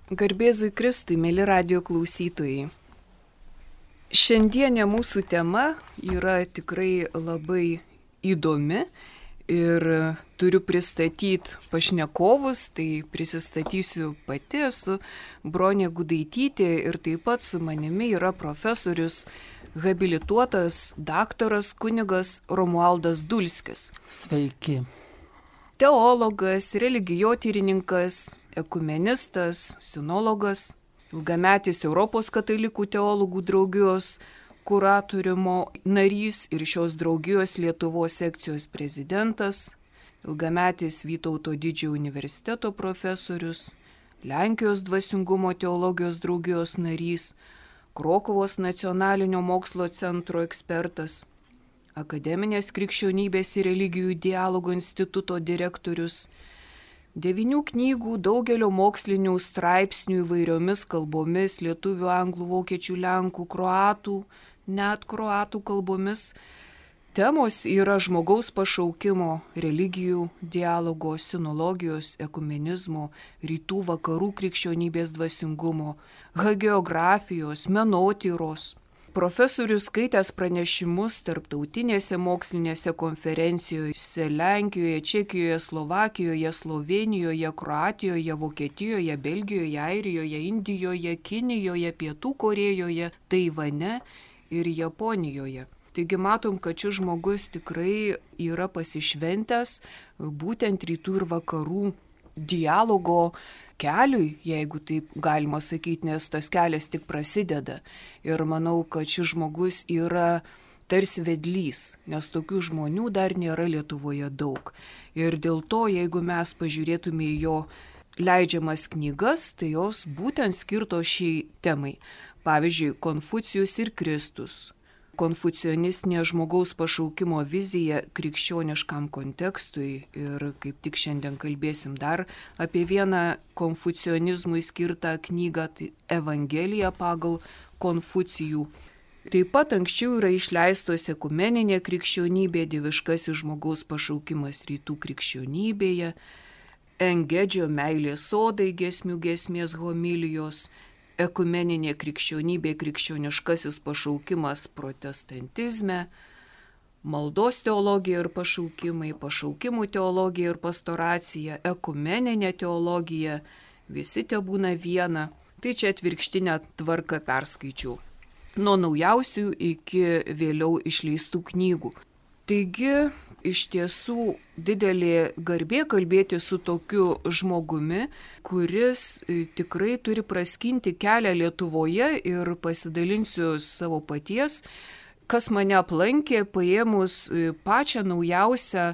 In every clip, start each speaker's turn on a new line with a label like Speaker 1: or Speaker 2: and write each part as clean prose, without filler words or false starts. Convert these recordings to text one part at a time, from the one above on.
Speaker 1: Garbėzui Kristui, mėly radijo klausytojai. Šiandienė mūsų tema yra tikrai labai įdomi ir turiu pristatyti pašnekovus, tai prisistatysiu pati, esu Bronė Gudaitytė ir taip pat su manimi yra profesorius, habilituotas daktaras kunigas Romualdas Dulskis.
Speaker 2: Sveiki.
Speaker 1: Teologas, religijotyrininkas, ekumenistas, sinologas, ilgametis Europos katalikų teologų draugijos kuratoriumo narys ir šios draugijos Lietuvos sekcijos prezidentas, ilgametis Vytauto Didžiojo universiteto profesorius, Lenkijos dvasingumo teologijos draugijos narys, Krokuvos nacionalinio mokslo centro ekspertas, Akademinės krikščionybės ir religijų dialogo instituto direktorius, 9 knygų, daugelio mokslinių straipsnių įvairiomis kalbomis, lietuvių, anglų, vokiečių, lenkų, kroatų, net kroatų kalbomis. Temos yra žmogaus pašaukimo, religijų dialogo, sinologijos, ekumenizmo, rytų vakarų krikščionybės dvasingumo, hagiografijos, menotyros. Profesorius skaitęs pranešimus tarptautinėse mokslinėse konferencijose Lenkijoje, Čekijoje, Slovakijoje, Slovėnijoje, Kroatijoje, Vokietijoje, Belgijoje, Airijoje, Indijoje, Kinijoje, Pietų Korėjoje, Taivane ir Japonijoje. Taigi matom, kad šis žmogus tikrai yra pasišventęs būtent rytų ir vakarų dialogo keliui, jeigu taip galima sakyti, nes tas kelias tik prasideda. Ir manau, kad šis žmogus yra tarsi vedlys, nes tokių žmonių dar nėra Lietuvoje daug. Ir dėl to, jeigu mes pažiūrėtume į jo leidžiamas knygas, tai jos būtent skirtos šiai temai. Pavyzdžiui, Konfucijus ir Kristus. Konfucionistinė žmogaus pašaukimo vizija krikščioniškam kontekstui ir kaip tik šiandien kalbėsim dar apie vieną konfucionizmui skirtą knygą, tai Evangelija pagal Konfucijų. Taip pat anksčiau yra išleistos ekumeninė krikščionybė, dieviškasis žmogaus pašaukimas rytų krikščionybėje, Engedžio meilės sodai giesmės homilijos, ekumeninė krikščionybė, krikščioniškasis pašaukimas protestantizme, maldos teologija ir pašaukimai, pašaukimų teologija ir pastoracija, ekumeninė teologija, visi te būna viena. Tai čia atvirkštinę tvarką perskaičiau. Nuo naujausių iki vėliau išleistų knygų. Taigi, iš tiesų didelė garbė kalbėti su tokiu žmogumi, kuris tikrai turi praskinti kelią Lietuvoje ir pasidalinsiu savo paties, kas mane aplankė paėmus pačią naujausią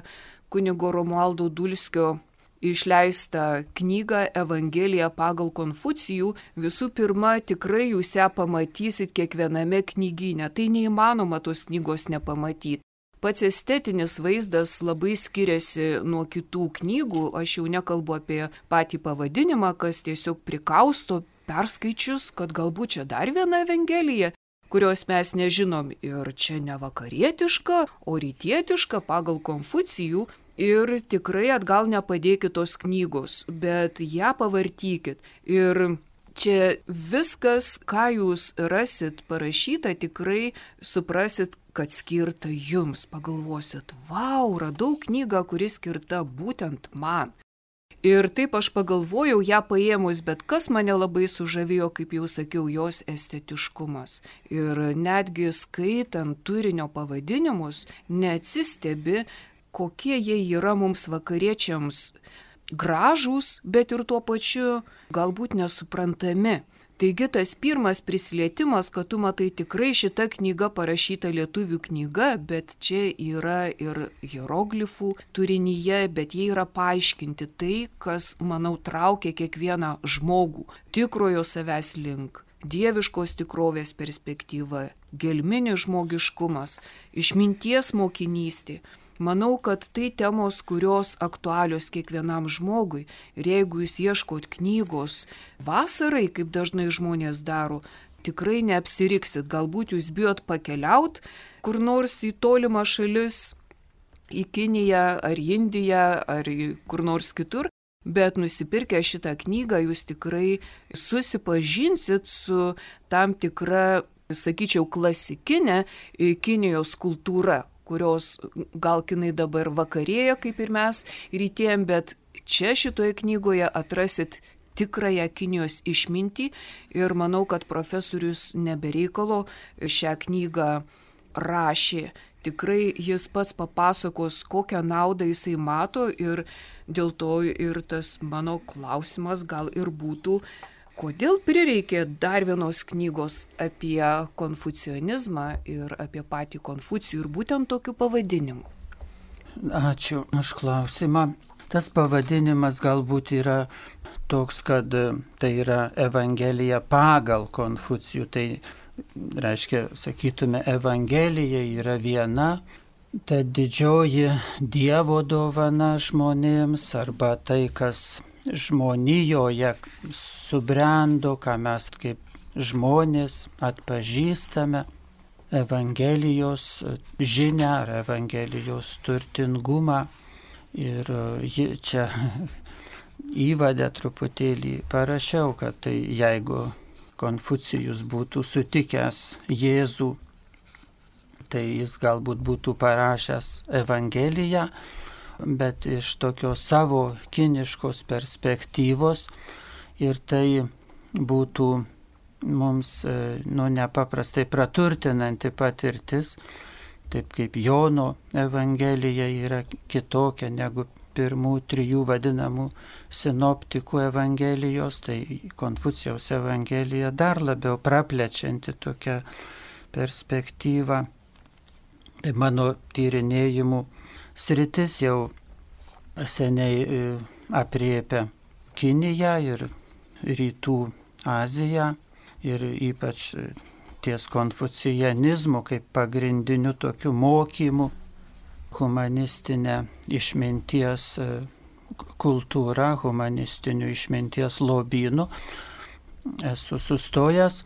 Speaker 1: kunigo Romualdo Dulskio išleistą knygą Evangelija pagal Konfucijų. Visų pirma, tikrai jūs ją pamatysit kiekviename knygyne, tai neįmanoma tos knygos nepamatyti. Pats estetinis vaizdas labai skiriasi nuo kitų knygų, aš jau nekalbu apie patį pavadinimą, kas tiesiog prikausto perskaičius, kad galbūt čia dar viena Evangelija, kurios mes nežinom ir čia ne vakarietiška, o rytietiška pagal Konfucijų ir tikrai atgal nepadėkit tos knygos, bet ją pavartykit. Ir čia viskas, ką jūs rasit parašyta, tikrai suprasit, kad skirta jums. Pagalvosit, vau, radau knygą, kuri skirta būtent man. Ir taip aš pagalvojau ją paėmus, bet kas mane labai sužavėjo, kaip jau sakiau, jos estetiškumas. Ir netgi skaitant turinio pavadinimus, neatsistebi, kokie jie yra mums vakariečiams gražūs, bet ir tuo pačiu galbūt nesuprantami. Taigi tas pirmas prisilietimas, kad tu matai tikrai šita knyga parašyta lietuvių knyga, bet čia yra ir hieroglifų turinyje, bet jie yra paaiškinti tai, kas, manau, traukia kiekvieną žmogų. Tikrojo savęs link, dieviškos tikrovės perspektyva, gelminis žmogiškumas, išminties mokinystė. Manau, kad tai temos, kurios aktualios kiekvienam žmogui. Ir jeigu jūs ieškot knygos vasarai, kaip dažnai žmonės daro, tikrai neapsiriksit. Galbūt jūs bijot pakeliaut kur nors į tolimą šalis, į Kiniją ar Indiją ar kur nors kitur. Bet nusipirkę šitą knygą jūs tikrai susipažinsit su tam tikra, sakyčiau, klasikinė Kinijos kultūra, kurios gal kinai dabar vakarėja, kaip ir mes rytėjom, bet čia šitoje knygoje atrasit tikrąją Kinijos išmintį ir manau, kad profesorius nebereikalo šią knygą rašė. Tikrai jis pats papasakos, kokią naudą jisai mato ir dėl to ir tas mano klausimas gal ir būtų, kodėl prireikė dar vienos knygos apie konfucionizmą ir apie patį Konfucijų ir būtent tokiu pavadinimu.
Speaker 2: Ačiū už klausimą. Tas pavadinimas galbūt yra toks, kad tai yra Evangelija pagal Konfucijų. Tai reiškia, sakytume, Evangelija yra viena, ta didžioji Dievo dovana žmonėms arba tai, kas žmonijoje subrendo, ką mes kaip žmonės atpažįstame, Evangelijos žinią ar Evangelijos turtingumą. Ir čia įvadę truputėlį parašiau, kad tai jeigu Konfucijus būtų sutikęs Jėzų, tai jis galbūt būtų parašęs Evangeliją, bet iš tokios savo kiniškos perspektyvos ir tai būtų mums nepaprastai praturtinanti patirtis, taip kaip Jono Evangelija yra kitokia negu pirmų trijų vadinamų sinoptikų Evangelijos, tai Konfucijaus Evangelija dar labiau praplečianti tokią perspektyvą. Tai mano tyrinėjimų sritis jau seniai apriepia Kiniją ir Rytų Aziją ir ypač ties konfucijanizmu kaip pagrindiniu tokiu mokymu, humanistinė išminties kultūra, humanistinių išminties lobynų esu sustojęs.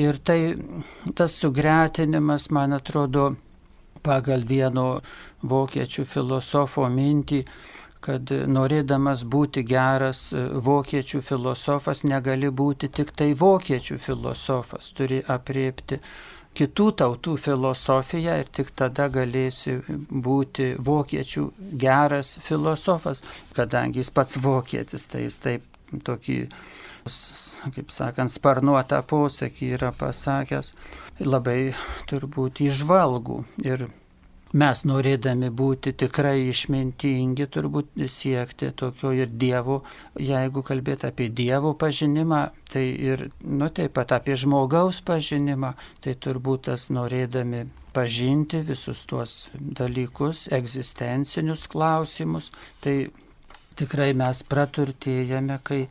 Speaker 2: Ir tas sugretinimas, man atrodo, pagal vieno vokiečių filosofo mintį, kad norėdamas būti geras vokiečių filosofas, negali būti tik tai vokiečių filosofas, turi apriepti kitų tautų filosofiją ir tik tada galėsi būti vokiečių geras filosofas, kadangi jis pats vokietis, tai jis taip tokį, kaip sakant, sparnuotą posakį yra pasakęs, labai turbūt įžvalgų. Ir mes norėdami būti tikrai išmintingi, turbūt siekti tokio ir Dievo, jeigu kalbėti apie Dievo pažinimą, tai ir taip pat apie žmogaus pažinimą, tai turbūt tas norėdami pažinti visus tuos dalykus, egzistencinius klausimus, tai tikrai mes praturtėjame, kai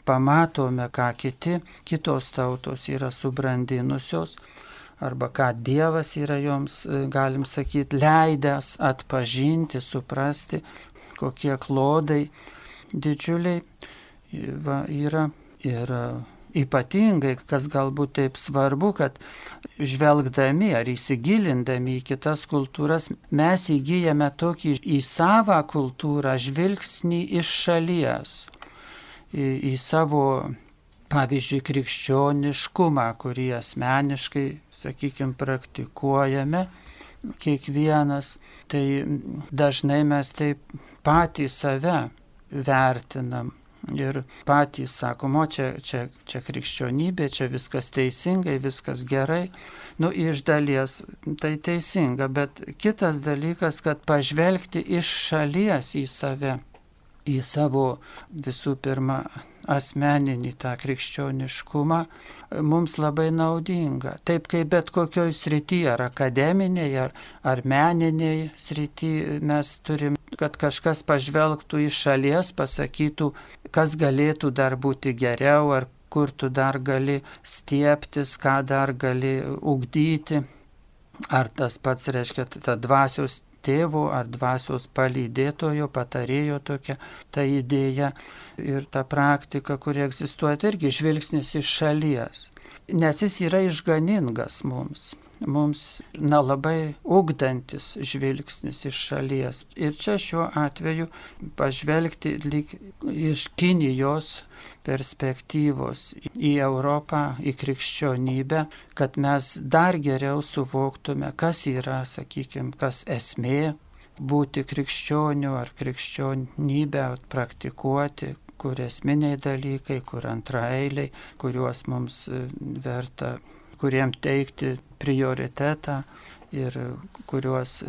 Speaker 2: pamatome, ką kitos tautos yra subrandinusios, arba ką Dievas yra joms, galim sakyti, leidęs atpažinti, suprasti, kokie klodai didžiuliai yra. Ir ypatingai, kas galbūt taip svarbu, kad žvelgdami ar įsigilindami į kitas kultūras, mes įgyjame tokį į savą kultūrą žvilgsnį iš šalies, į savo, pavyzdžiui, krikščioniškumą, kurį asmeniškai, sakykime, praktikuojame kiekvienas, tai dažnai mes taip patys save vertinam ir patys sakom, čia krikščionybė, čia viskas teisingai, viskas gerai. Iš dalies tai teisinga, bet kitas dalykas, kad pažvelgti iš šalies į save, į savo visų pirma asmeninį tą krikščioniškumą, mums labai naudinga. Taip kaip bet kokioj srityje, ar akademinėje, ar meninėje srityje, mes turim, kad kažkas pažvelgtų iš šalies, pasakytų, kas galėtų dar būti geriau, ar kur tu dar gali stiebtis, ką dar gali ugdyti. Ar tas pats reiškia ta dvasios tėvo ar dvasios palydėtojo, patarėjo tokia ta idėja ir ta praktika, kuri egzistuoja, tai irgi žvilgsnis iš šalies. Nes jis yra išganingas mums. mums labai ugdantis žvilgsnis iš šalies. Ir čia šiuo atveju pažvelgti lyg iš Kinijos perspektyvos į Europą, į krikščionybę, kad mes dar geriau suvoktume, kas yra, sakykime, kas esmė būti krikščioniu ar krikščionybę praktikuoti, kur esminiai dalykai, kur antraeiliai, kuriuos mums verta, kuriem teikti prioritetą ir kuriuos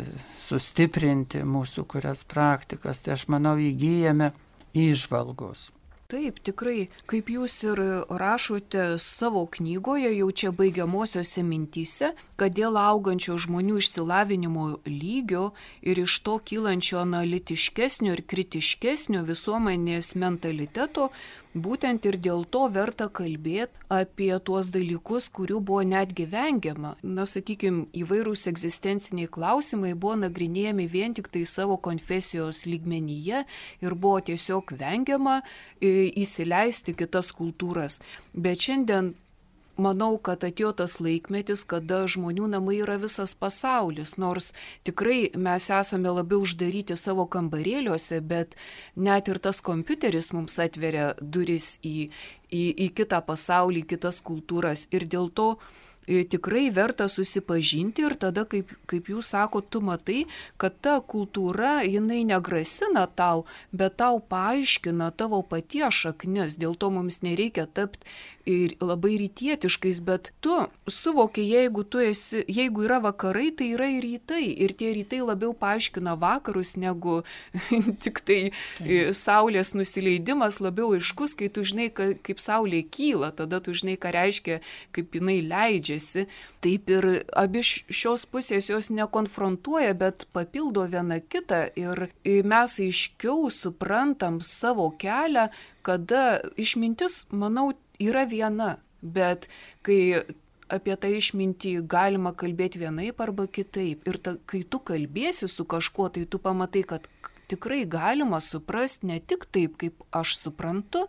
Speaker 2: sustiprinti mūsų kurias praktikas. Tai aš manau įgyjame įžvalgos.
Speaker 1: Taip, tikrai, kaip jūs ir rašote savo knygoje, jau čia baigiamosiose mintyse, kad dėl augančio žmonių išsilavinimo lygio ir iš to kylančio analitiškesnio ir kritiškesnio visuomenės mentaliteto, būtent ir dėl to verta kalbėti apie tuos dalykus, kurių buvo netgi vengiama. Na, sakykime, įvairūs egzistenciniai klausimai buvo nagrinėjami vien tik tai savo konfesijos lygmenyje ir buvo tiesiog vengiama įsileisti kitas kultūras. Bet šiandien manau, kad atėjo tas laikmetis, kada žmonių namai yra visas pasaulis, nors tikrai mes esame labiau uždaryti savo kambarėliuose, bet net ir tas kompiuteris mums atveria duris į kitą pasaulį, į kitas kultūras ir dėl to tikrai verta susipažinti ir tada, kaip jūs sakot, tu matai, kad ta kultūra, jinai negrasina tau, bet tau paaiškina tavo paties šaknis, dėl to mums nereikia tapti ir labai rytietiškais, bet tu suvoki, jeigu yra vakarai, tai yra ir rytai, ir tie rytai labiau paaiškina vakarus, negu tik tai saulės nusileidimas labiau aiškus, kai tu žinai, kaip saulė kyla, tada tu žinai, ką reiškia, kaip jinai leidžiasi. Taip ir abi šios pusės jos nekonfrontuoja, bet papildo viena kitą ir mes aiškiau suprantam savo kelią, kada išmintis, manau, yra viena, bet kai apie tą išmintį galima kalbėti vienaip arba kitaip. Ir kai tu kalbėsi su kažkuo, tai tu pamatai, kad tikrai galima suprasti ne tik taip, kaip aš suprantu,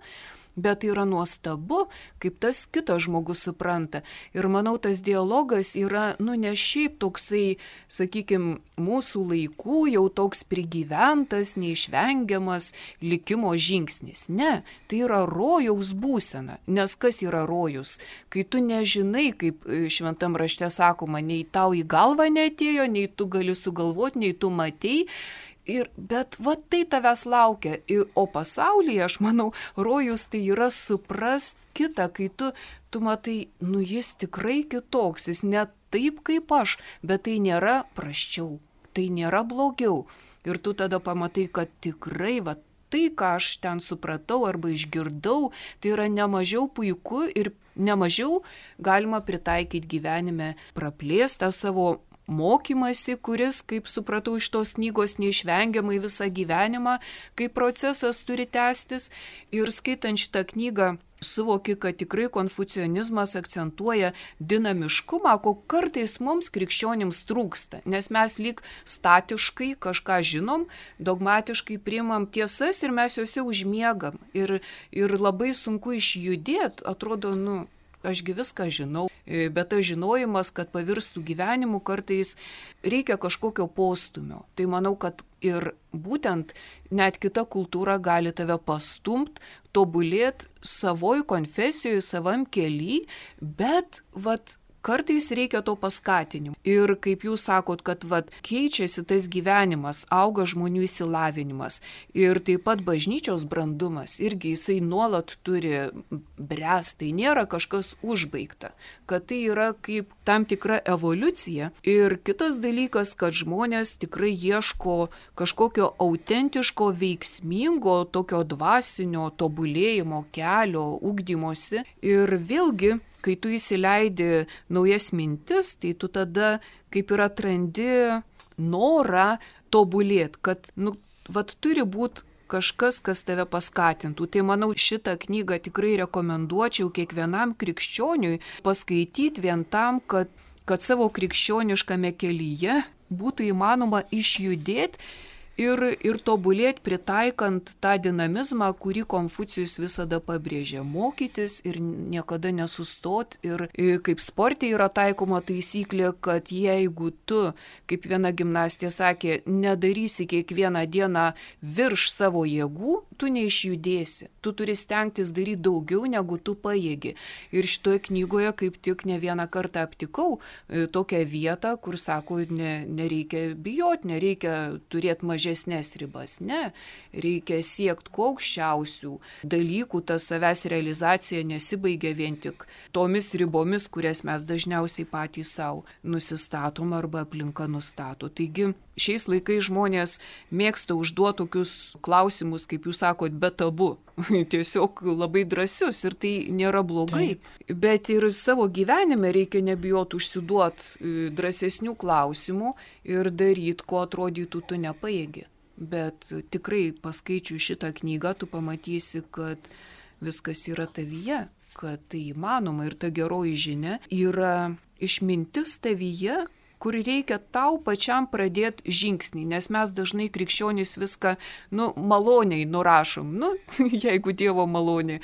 Speaker 1: bet yra nuostabu, kaip tas kitas žmogus supranta. Ir manau, tas dialogas yra, ne šiaip toksai, sakykime, mūsų laikų jau toks prigyventas, neišvengiamas likimo žingsnis. Ne, tai yra rojaus būsena. Nes kas yra rojus? Kai tu nežinai, kaip šventam rašte sakoma, nei tau į galvą neatėjo, nei tu gali sugalvoti, nei tu matei. Bet va tai tavęs laukia. O pasaulyje, aš manau, rojus tai yra suprast kitą, kai tu matai, jis tikrai kitoks, jis ne taip kaip aš, bet tai nėra prasčiau, tai nėra blogiau. Ir tu tada pamatai, kad tikrai va tai, ką aš ten supratau arba išgirdau, tai yra nemažiau puiku ir nemažiau galima pritaikyti gyvenime, praplėstą savo mokymasi, kuris, kaip supratau iš tos knygos, neišvengiamai visą gyvenimą, kaip procesas turi tęstis. Ir skaitant šitą knygą, suvoki, kad tikrai konfucionizmas akcentuoja dinamiškumą, ko kartais mums krikščionims trūksta, nes mes lyg statiškai kažką žinom, dogmatiškai priimam tiesas ir mes juose užmiegam. Ir labai sunku išjudėti, atrodo, ašgi viską žinau, bet tas žinojimas, kad pavirstų gyvenimu, kartais reikia kažkokio postumio. Tai manau, kad ir būtent net kita kultūra gali tave pastumt, tobulėti savoj konfesijoje, savam kely, bet kartais reikia to paskatinimo. Ir kaip jūs sakot, kad keičiasi tas gyvenimas, auga žmonių išsilavinimas ir taip pat bažnyčios brandumas, irgi jisai nuolat turi bręsti, tai nėra kažkas užbaigta, kad tai yra kaip tam tikra evoliucija. Ir kitas dalykas, kad žmonės tikrai ieško kažkokio autentiško, veiksmingo, tokio dvasinio tobulėjimo kelio, ugdymosi. Ir vėlgi, kai tu įsileidi naujas mintis, tai tu tada kaip ir atrandi norą tobulėti, kad turi būti kažkas, kas tave paskatintų. Tai manau, šitą knygą tikrai rekomenduočiau kiekvienam krikščioniui paskaityti vien tam, kad savo krikščioniškame kelyje būtų įmanoma išjudėti ir tobulėti pritaikant tą dinamizmą, kurį Konfucijus visada pabrėžė. Mokytis ir niekada nesustot. Ir kaip sporte yra taikoma taisyklė, kad jeigu tu, kaip viena gimnastė sakė, nedarysi kiekvieną dieną virš savo jėgų, tu neišjudėsi. Tu turi stengtis daryti daugiau, negu tu pajėgi. Ir šitoje knygoje kaip tik ne vieną kartą aptikau tokią vietą, kur sako, nereikia bijoti, nereikia turėti mažesnės ribas. Ne, reikia siekti kuo aukščiausių dalykų, ta savęs realizacija nesibaigia vien tik tomis ribomis, kurias mes dažniausiai patys savo nusistatom arba aplinka nustato. Taigi šiais laikais žmonės mėgsta užduoti tokius klausimus, kaip jūs sakot, be tabu. Tiesiog labai drąsius ir tai nėra blogai. Bet ir savo gyvenime reikia nebijoti užsiduoti drąsesnių klausimų ir daryti, ko atrodytų tu nepajėgi. Bet tikrai paskaičiu šitą knygą, tu pamatysi, kad viskas yra tavyje, kad tai įmanoma ir ta geroji žinia yra išmintis tavyje, kur reikia tau pačiam pradėti žingsnį, nes mes dažnai krikščionys viską, maloniai nurašom. Jeigu Dievo malonė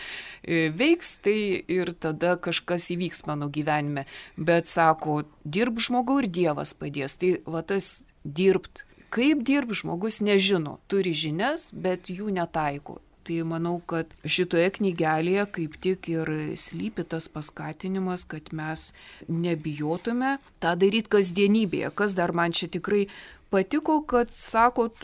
Speaker 1: veiks, tai ir tada kažkas įvyks mano gyvenime. Bet sako, dirb žmogau ir Dievas padės. Tai va tas dirbt. Kaip dirb žmogus nežino, turi žinias, bet jų netaiko. Tai manau, kad šitoje knygelėje kaip tik ir slypi tas paskatinimas, kad mes nebijotume tą daryti kasdienybėje. Kas dar man čia tikrai patiko, kad sakot,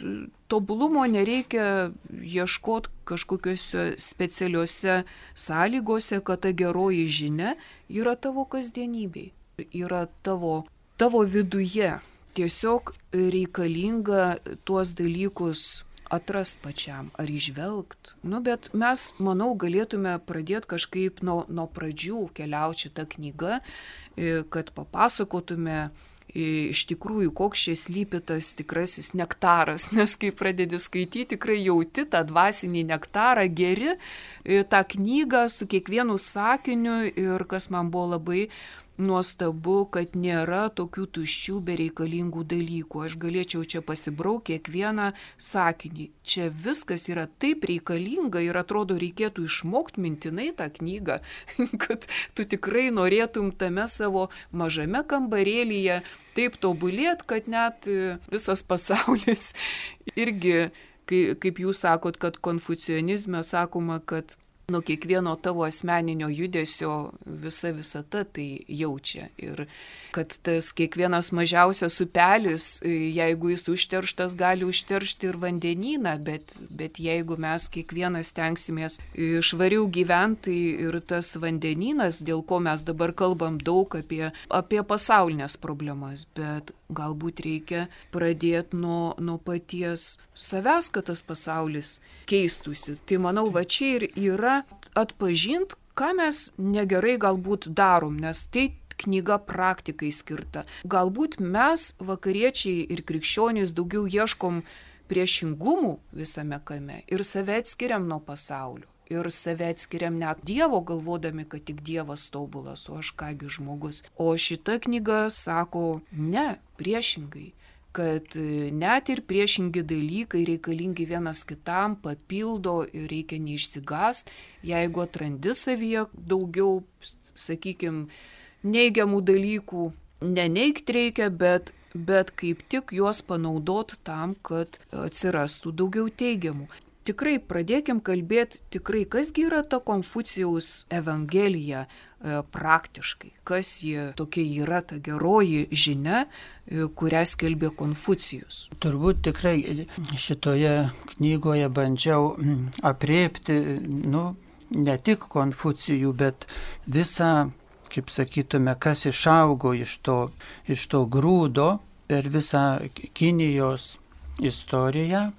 Speaker 1: tobulumo nereikia ieškoti kažkokiuose specialiuose sąlygose, kad ta geroji žinia yra tavo kasdienybėje, yra tavo viduje. Tiesiog reikalinga tuos dalykus atrast pačiam ar įžvelgt. Bet mes, manau, galėtume pradėti kažkaip nuo pradžių keliauti šitą knygą, kad papasakotume iš tikrųjų, koks čia slypi tas tikrasis nektaras, nes kai pradedi skaityti, tikrai jauti tą dvasinį nektarą, geri tą knygą su kiekvienu sakiniu ir kas man buvo labai nuostabu, kad nėra tokių tuščių bereikalingų dalykų. Aš galėčiau čia pasibraukti kiekvieną sakinį. Čia viskas yra taip reikalinga ir atrodo reikėtų išmokti mintinai tą knygą, kad tu tikrai norėtum tame savo mažame kambarėlyje taip tobulėt, kad net visas pasaulis irgi, kaip jūs sakot, kad konfucionizme sakoma, kad nuo kiekvieno tavo asmeninio judesio visa visata tai jaučia. Ir kad tas kiekvienas mažiausias upelis, jeigu jis užterštas, gali užteršti ir vandenyną, bet jeigu mes kiekvienas stengsimės švariau gyventi ir tas vandenynas, dėl ko mes dabar kalbam daug apie pasaulinės problemas, bet galbūt reikia pradėti nuo paties savęs, kad tas pasaulis keistųsi. Tai manau, va čia ir yra atpažint, ką mes negerai galbūt darom, nes tai knyga praktikai skirta. Galbūt mes, vakariečiai ir krikščionys, daugiau ieškom priešingumų visame kame ir save atskiriam nuo pasaulio. Ir save atskiriam net Dievo, galvodami, kad tik Dievas tobulas, o aš kągi žmogus. O šita knyga sako, ne, priešingai, kad net ir priešingi dalykai reikalingi vienas kitam, papildo ir reikia neišsigąst, jeigu atrandi savyje daugiau, sakykime, neigiamų dalykų, neneigt reikia, bet kaip tik juos panaudot tam, kad atsirastų daugiau teigiamų. Tikrai pradėkim kalbėti, kasgi yra ta Konfucijaus evangelija praktiškai, kas jie tokia yra ta geroji žinia, kurią skelbė Konfucijus.
Speaker 2: Turbūt tikrai šitoje knygoje bandžiau apriepti, ne tik Konfucijų, bet visą, kaip sakytume, kas išaugo iš to grūdo per visą Kinijos istoriją,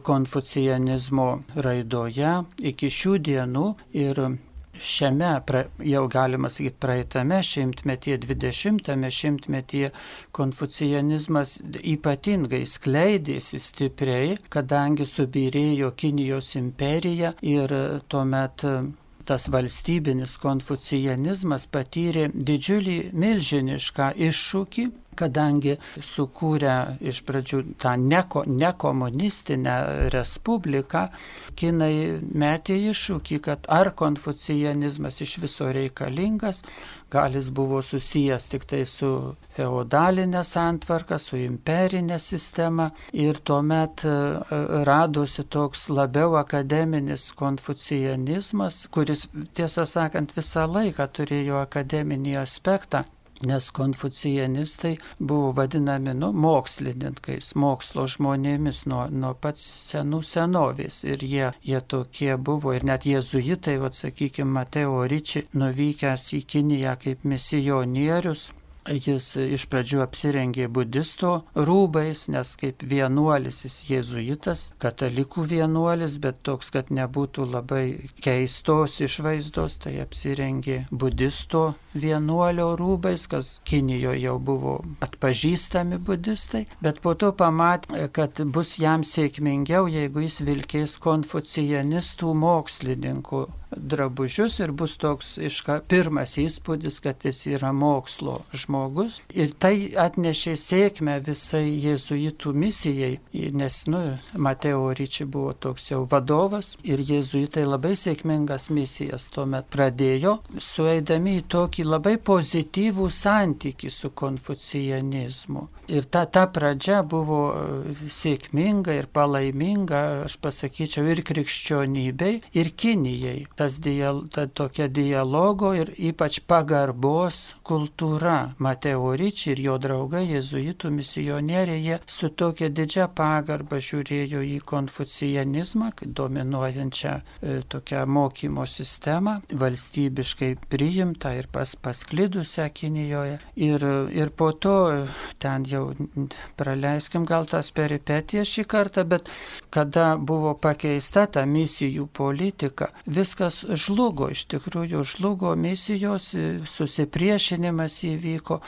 Speaker 2: konfucianizmo raidoje iki šių dienų ir šiame, jau galima sakyti, praeitame šimtmetyje, 20-ame šimtmetyje konfucianizmas ypatingai skleidėsi stipriai, kadangi subyrėjo Kinijos imperija ir tuomet tas valstybinis konfucianizmas patyrė didžiulį milžinišką iššūkį, kadangi sukūrė iš pradžių tą nekomunistinę respubliką, kinai metė iššūkį, kad ar konfucianizmas iš viso reikalingas, gal jis buvo susijęs tik tai su feodalinė santvarka, su imperinė sistema ir tuomet radosi toks labiau akademinis konfucianizmas, kuris, tiesą sakant, visą laiką turėjo akademinį aspektą. Nes konfucianistai buvo vadinami mokslininkais, mokslo žmonėmis nuo pats senų senovės. Ir jie tokie buvo. Ir net jėzuitai, sakykime, Mateo Ricci, nuvykęs į Kiniją kaip misionierius, jis iš pradžių apsirengė budisto rūbais, nes kaip vienuolis jis jėzuitas, katalikų vienuolis, bet toks, kad nebūtų labai keistos išvaizdos, tai apsirengė budisto vienuolio rūbais, kas Kinijoje jau buvo atpažįstami budistai, bet po to pamatė, kad bus jam sėkmingiau, jeigu jis vilkės konfucianistų mokslininkų drabužius ir bus toks pirmas įspūdis, kad jis yra mokslo žmogus. Ir tai atnešė sėkmę visai jėzuitų misijai, nes Mateo Ricci buvo toks jau vadovas ir jėzuitai labai sėkmingas misijas tuomet pradėjo, sueidami į tokį labai pozityvų santykį su konfucianizmu. Ir ta pradžia buvo sėkminga ir palaiminga, aš pasakyčiau, ir krikščionybei, ir Kinijai. Ta tokia dialogo ir ypač pagarbos kultūra. Mateo Ricci ir jo draugai, jėzuitų misionieriai, jie su tokia didžia pagarba žiūrėjo į konfucianizmą, dominuojančią tokią mokymo sistemą, valstybiškai priimtą ir pasklidusią Kinijoje. Ir po to, ten jau praleiskim gal tas peripetijas šį kartą, bet kada buvo pakeista ta misijų politika, viskas žlugo, iš tikrųjų žlugo misijos, susipriešinimas įvyko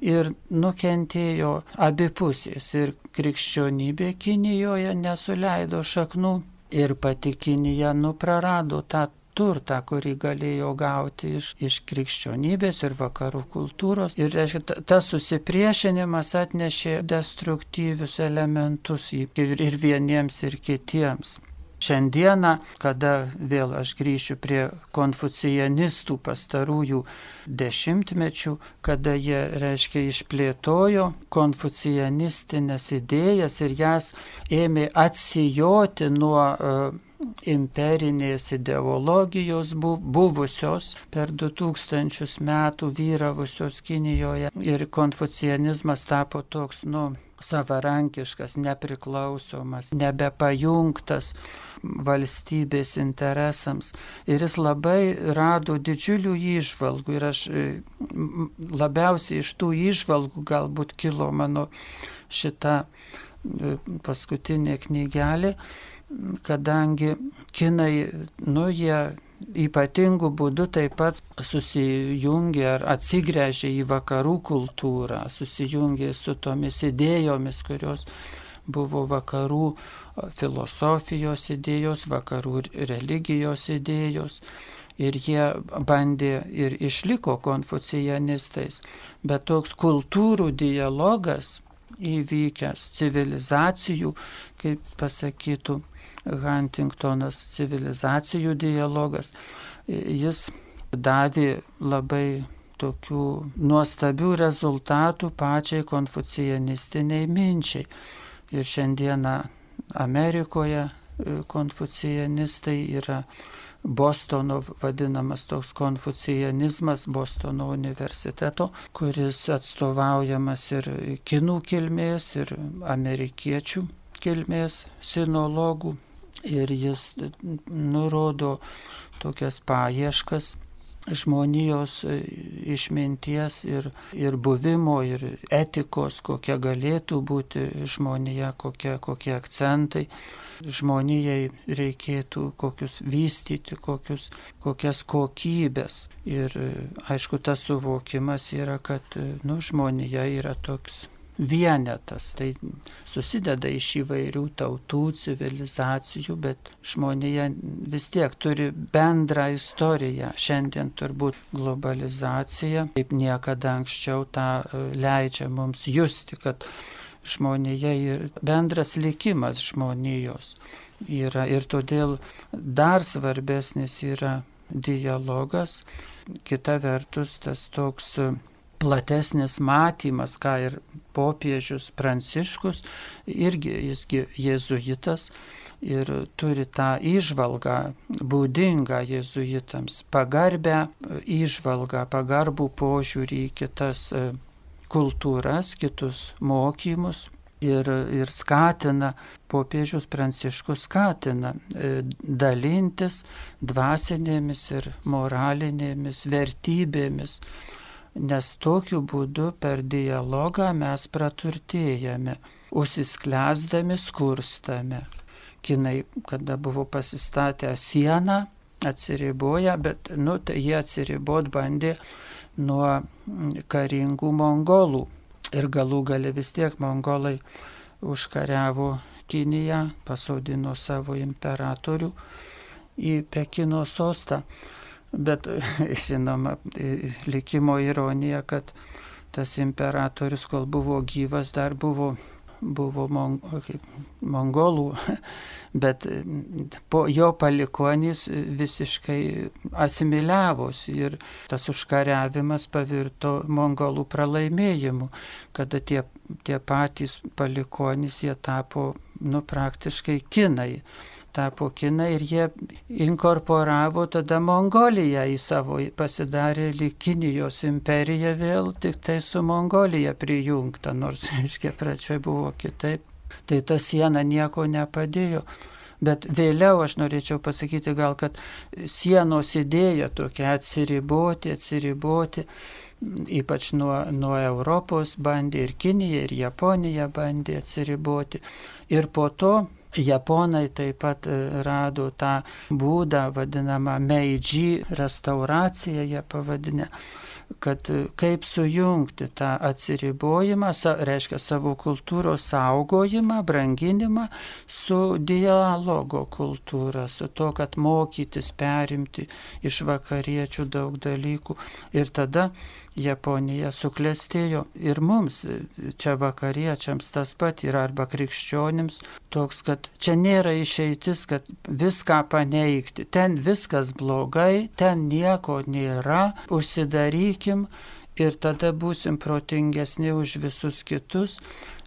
Speaker 2: ir nukentėjo abi pusės. Ir krikščionybė Kinijoje nesuleido šaknų ir pati Kinija prarado tą turtą, kurį galėjo gauti iš krikščionybės ir vakarų kultūros. Ir reiškia, tas susipriešinimas atnešė destruktyvius elementus ir vieniems, ir kitiems. Šiandieną, kada vėl aš grįšiu prie konfucianistų pastarųjų dešimtmečių, kada jie, reiškia, išplėtojo konfucianistinės idėjas ir jas ėmė atsijoti nuo imperinės ideologijos buvusios per 2000 metų vyravusios Kinijoje ir konfucianizmas tapo toks, savarankiškas, nepriklausomas, nebepajungtas valstybės interesams. Ir jis labai rado didžiulių įžvalgų ir aš labiausiai iš tų įžvalgų galbūt kilo mano šita paskutinė knygelė, kadangi kinai, jie ypatingų būdų taip pat susijungė ar atsigręžė į vakarų kultūrą, susijungė su tomis idėjomis, kurios buvo vakarų filosofijos idėjos, vakarų religijos idėjos. Ir jie bandė ir išliko konfucianistais, bet toks kultūrų dialogas įvykęs, civilizacijų, kaip pasakytų Huntingtonas, civilizacijų dialogas, jis davė labai tokių nuostabių rezultatų pačiai konfucianistiniai minčiai. Ir šiandieną Amerikoje konfucianistai yra Bostono vadinamas toks konfucianizmas, Bostono universiteto, kuris atstovaujamas ir kinų kilmės, ir amerikiečių kilmės sinologų. Ir jis nurodo tokias paieškas žmonijos išminties ir buvimo, ir etikos, kokia galėtų būti žmonija, kokie akcentai žmonijai reikėtų, kokius vystyti, kokias kokybės. Ir aišku, tas suvokimas yra, kad žmonija yra toks vienetas. Tai susideda iš įvairių tautų, civilizacijų, bet žmonija vis tiek turi bendrą istoriją. Šiandien turbūt globalizacija, kaip niekada anksčiau, tą leidžia mums justi, kad žmonija ir bendras likimas žmonijos yra, ir todėl dar svarbesnis yra dialogas. Kita vertus, tas toks platesnis matymas, ką ir popiežius Pranciškus, irgi jisgi jėzuitas ir turi tą įžvalgą būdingą jėzuitams, pagarbę įžvalgą, pagarbų požiūrį į kitas kultūras, kitus mokymus ir skatina, popiežius Pranciškus skatina dalintis dvasinėmis ir moralinėmis vertybėmis, nes tokiu būdu per dialogą mes praturtėjame, užsisklęsdami skurstame. Kinai, kada buvo pasistatę sieną, atsiriboja, bet tai jie atsiribot bandė nuo karingų mongolų. Ir galų gale vis tiek mongolai užkariavo Kiniją, pasodino savo imperatorių į Pekino sostą. Bet, žinoma, likimo ironija, kad tas imperatorius, kol buvo gyvas, dar buvo mongolų, bet po jo palikuonys visiškai asimiliavosi ir tas užkariavimas pavirto mongolų pralaimėjimu, kada tie patys palikuonys jie tapo praktiškai kinai. Ir jie inkorporavo tada Mongoliją į savo, pasidarė lyg Kinijos imperija vėl, tik tai su Mongolija prijungta, nors, pradžioje buvo kitaip. Tai ta siena nieko nepadėjo. Bet vėliau aš norėčiau pasakyti gal, kad sienos idėja tokia atsiriboti, ypač nuo Europos bandė ir Kinija, ir Japonija bandė atsiriboti. Ir po to Japonai taip pat rado tą būdą, vadinamą Meidži restauraciją, jie pavadinę, kad kaip sujungti tą atsiribojimą, reiškia savo kultūros saugojimą, branginimą su dialogo kultūra, su to, kad mokytis, perimti iš vakariečių daug dalykų. Ir tada Japonija suklestėjo ir mums, čia vakariečiams tas pat yra, arba krikščionims, toks, kad čia nėra išeitis, kad viską paneigti. Ten viskas blogai, ten nieko nėra, užsidarykim ir tada būsim protingesni už visus kitus.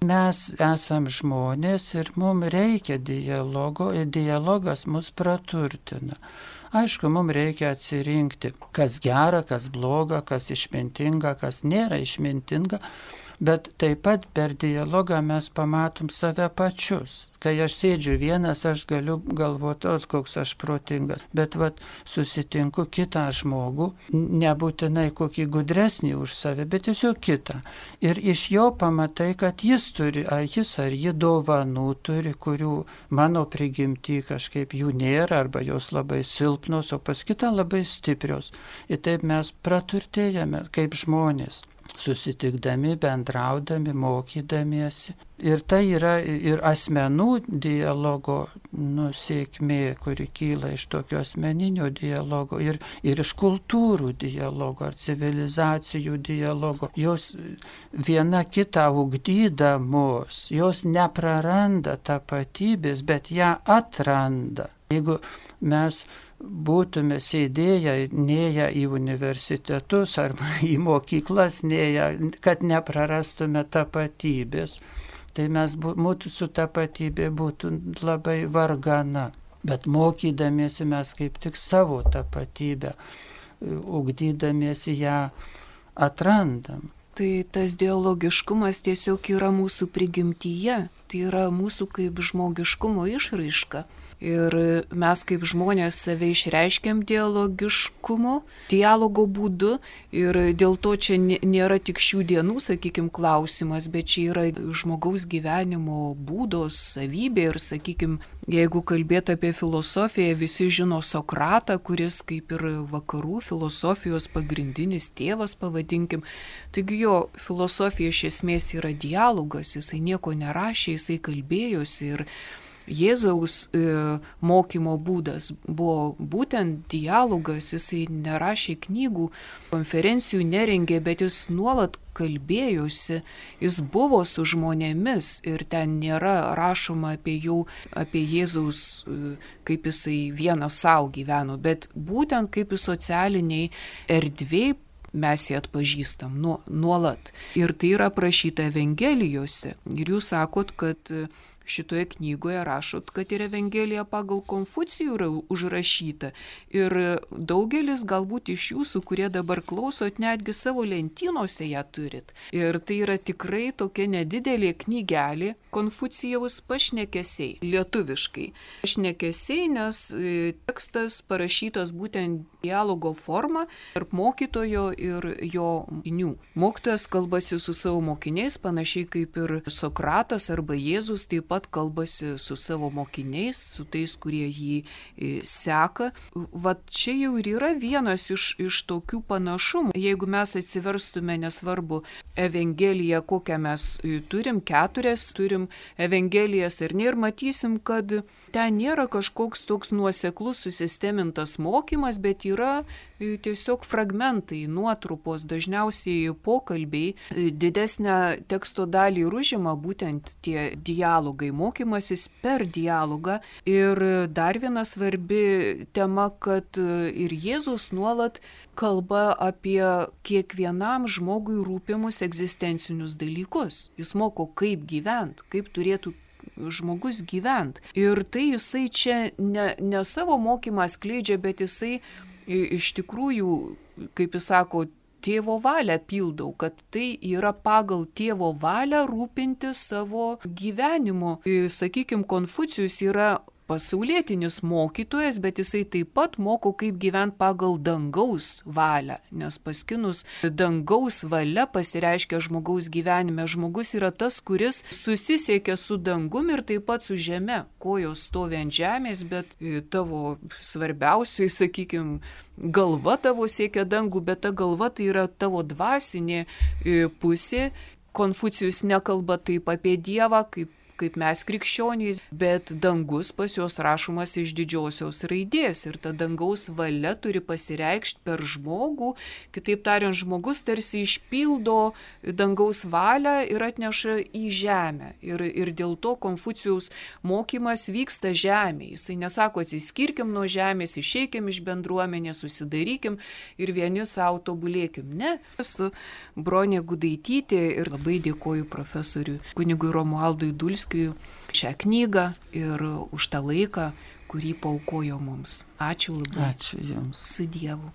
Speaker 2: Mes esam žmonės ir mums reikia dialogo ir dialogas mus praturtina. Aišku, mums reikia atsirinkti, kas gera, kas bloga, kas išmintinga, kas nėra išmintinga, bet taip pat per dialogą mes pamatom save pačius. Kai aš sėdžiu vienas, aš galiu galvoti, koks aš protingas, bet susitinku kitą žmogų, nebūtinai kokį gudresnį už save, bet tiesiog kitą. Ir iš jo pamatai, kad jis turi, ar ji dovanų turi, kurių mano prigimty kažkaip jų nėra, arba jos labai silpnos, o pas kitą labai stiprios. Ir taip mes praturtėjame kaip žmonės, susitikdami, bendraudami, mokydamiesi. Ir tai yra ir asmenų dialogo sėkmė, kuri kyla iš tokio asmeninio dialogo ir iš kultūrų dialogo ar civilizacijų dialogo. Jos viena kitą ugdydamos, jos nepraranda tapatybės, bet ją atranda. Jeigu mes būtume sėdėję, nėję į universitetus arba į mokyklas, nėję, kad neprarastume tapatybės, tai mūsų tapatybė būtų labai vargana. Bet mokydamiesi mes kaip tik savo tapatybę, ugdydamiesi ją atrandam.
Speaker 1: Tai tas dialogiškumas tiesiog yra mūsų prigimtyje, tai yra mūsų kaip žmogiškumo išraiška. Ir mes kaip žmonės save išreiškiam dialogo būdu ir dėl to čia nėra tik šių dienų, sakykime, klausimas, bet čia yra žmogaus gyvenimo būdos savybė ir, sakykime, jeigu kalbėt apie filosofiją, visi žino Sokratą, kuris kaip ir vakarų filosofijos pagrindinis tėvas, pavadinkim. Taigi jo filosofija iš esmės yra dialogas, jisai nieko nerašė, jisai kalbėjosi ir Jėzaus mokymo būdas buvo būtent dialogas, jisai nerašė knygų, konferencijų nerengė, bet jis nuolat kalbėjosi, jis buvo su žmonėmis ir ten nėra rašoma apie Jėzaus, kaip jisai vienas savo gyveno, bet būtent kaip jis socialiniai erdvėj mes jį atpažįstam nuolat. Ir tai yra aprašyta Evangelijose. Ir jūs sakot, kad šitoje knygoje rašot, kad ir Evangelija pagal Konfucijų yra užrašyta. Ir daugelis galbūt iš jūsų, kurie dabar klausot, netgi savo lentynose ją turit. Ir tai yra tikrai tokia nedidelė knygelė Konfucijaus pašnekesiai, lietuviškai. Pašnekesiai, nes tekstas parašytas būtent dialogo forma tarp mokytojo ir jo mokinių. Mokytojas kalbasi su savo mokiniais, panašiai kaip ir Sokratas arba Jėzus taip pat kalbasi su savo mokiniais, su tais, kurie jį seka. Vat čia jau ir yra vienas iš tokių panašumų. Jeigu mes atsiverstume, nesvarbu, Evangeliją, kokią mes turim, 4 turim Evangelijas ar ne, ir matysim, kad ten nėra kažkoks toks nuoseklus susistemintas mokymas, bet yra tiesiog fragmentai, nuotrupos, dažniausiai pokalbiai. Didesnę teksto dalį užima būtent tie dialogai, mokymasis per dialogą. Ir dar viena svarbi tema, kad ir Jėzus nuolat kalba apie kiekvienam žmogui rūpimus egzistencinius dalykus. Jis moko, kaip gyventi, kaip turėtų žmogus gyventi. Ir tai jisai čia ne savo mokymą skleidžia, bet jisai iš tikrųjų, kaip jis sako, tėvo valią pildau, kad tai yra pagal tėvo valią rūpinti savo gyvenimu. Sakykime, Konfucijus yra pasaulietinis mokytojas, bet jisai taip pat moko, kaip gyventi pagal dangaus valią, nes paskinus dangaus valia pasireiškia žmogaus gyvenime. Žmogus yra tas, kuris susisiekia su dangum ir taip pat su žeme. Kojos stovi ant žemės, bet tavo svarbiausiai, sakykime, galva tavo siekia dangų, bet ta galva tai yra tavo dvasinė pusė. Konfucijus nekalba taip apie Dievą, kaip mes krikščionys, bet dangus pas juos rašomas iš didžiosios raidės ir ta dangaus valia turi pasireikšti per žmogų. Kitaip tariant, žmogus tarsi išpildo dangaus valią ir atneša į žemę. Ir dėl to Konfucijaus mokymas vyksta žemėje. Jisai nesako, atsiskirkim nuo žemės, išeikim iš bendruomenės, susidarykim ir vieni savo tobulėkim. Ne. Esu Bronė Gudaitytė ir labai dėkoju profesoriui kunigui Romualdui Dulskiui šią knygą ir už tą laiką, kurį paaukojo mums. Ačiū labai.
Speaker 2: Ačiū Jums.
Speaker 1: Su Dievu.